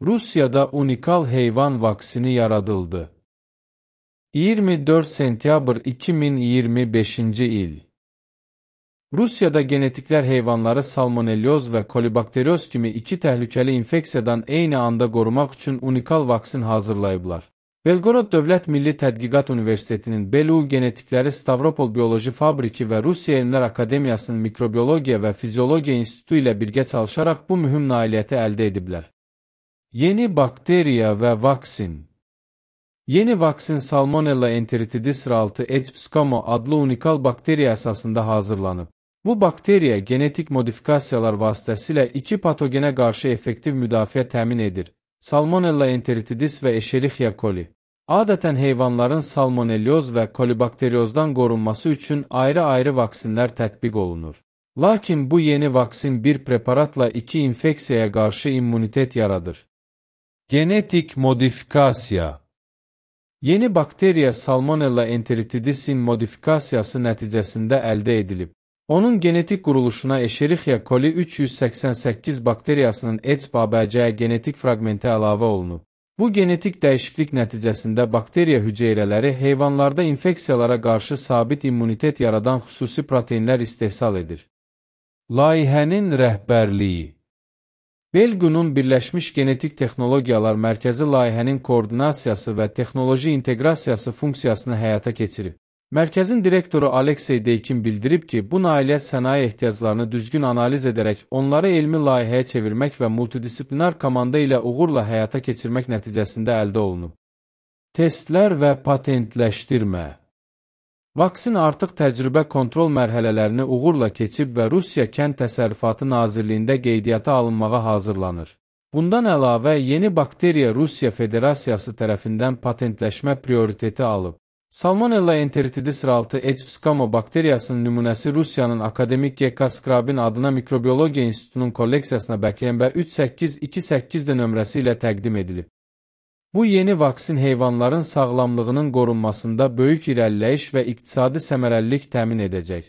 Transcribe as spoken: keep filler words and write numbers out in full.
Rusiyada unikal heyvan vaksini yaradıldı. iyirmi dörd sentyabr iki min iyirmi beşinci il. Rusiyada genetiklər heyvanları salmonelloz və kolibakterioz kimi iki təhlükəli infeksiyadan eyni anda qorumaq üçün unikal vaksin hazırlayıblar. Belgorod Dövlət Milli Tədqiqat Universitetinin B L U Genetikləri Stavropol Bioloji Fabriki və Rusiya Elmlər Akademiyasının Mikrobiologiya və Fiziologiya İnstitutu ilə birgə çalışaraq bu mühüm nailiyyəti əldə ediblər. Yeni bakteriya və vaksin. Yeni vaksin Salmonella enteritidis R altı H pseudomonas adlı unikal bakteriya əsasında hazırlanıb. Bu bakteriya genetik modifikasiyalar vasitəsilə iki patogenə qarşı effektiv müdafiə təmin edir. Salmonella enteritidis və Escherichia coli. Adətən heyvanların salmonelloz və kolibakteriozdan qorunması üçün ayrı-ayrı vaksinlər tətbiq olunur. Lakin bu yeni vaksin bir preparatla iki infeksiyaya qarşı immunitet yaradır. Genetik modifikasiya. Yeni bakteriya Salmonella enteritidisin modifikasiyası nəticəsində əldə edilib. Onun genetik quruluşuna Escherichia coli üç yüz səksən səkkiz bakteriyasının E C B A B C genetik fraqmenti əlavə olunub. Bu genetik dəyişiklik nəticəsində bakteriya hüceyrələri heyvanlarda infeksiyalara qarşı sabit immunitet yaradan xüsusi proteinlər istehsal edir. Layihənin rəhbərliyi. Belgunun Birləşmiş Genetik Texnologiyalar Mərkəzi layihənin koordinasiyası və texnoloji inteqrasiyası funksiyasını həyata keçirib. Mərkəzin direktoru Aleksey Deykin bildirib ki, bu nailiyyət sənaye ehtiyaclarını düzgün analiz edərək, onları elmi layihəyə çevirmək və multidisiplinar komanda ilə uğurla həyata keçirmək nəticəsində əldə olunub. Testlər və patentləşdirmə. Vaksin artıq təcrübə kontrol mərhələlərini uğurla keçib və Rusiya Kənd Təsərrüfatı Nazirliyində qeydiyyata alınmağa hazırlanır. Bundan əlavə, yeni bakteriya Rusiya Federasiyası tərəfindən patentləşmə prioriteti alıb. Salmonella enteritidis R altı H pseudomonas bakteriyasının nümunəsi Rusiyanın akademik G K Skrabin adına Mikrobiologiya İnstitutunun kolleksiyasına B K M B üç səkkiz iki səkkiz nömrəsi ilə təqdim edilib. Bu yeni vaksin heyvanların sağlamlığının qorunmasında böyük irəliləyiş və iqtisadi səmərəlilik təmin edəcək.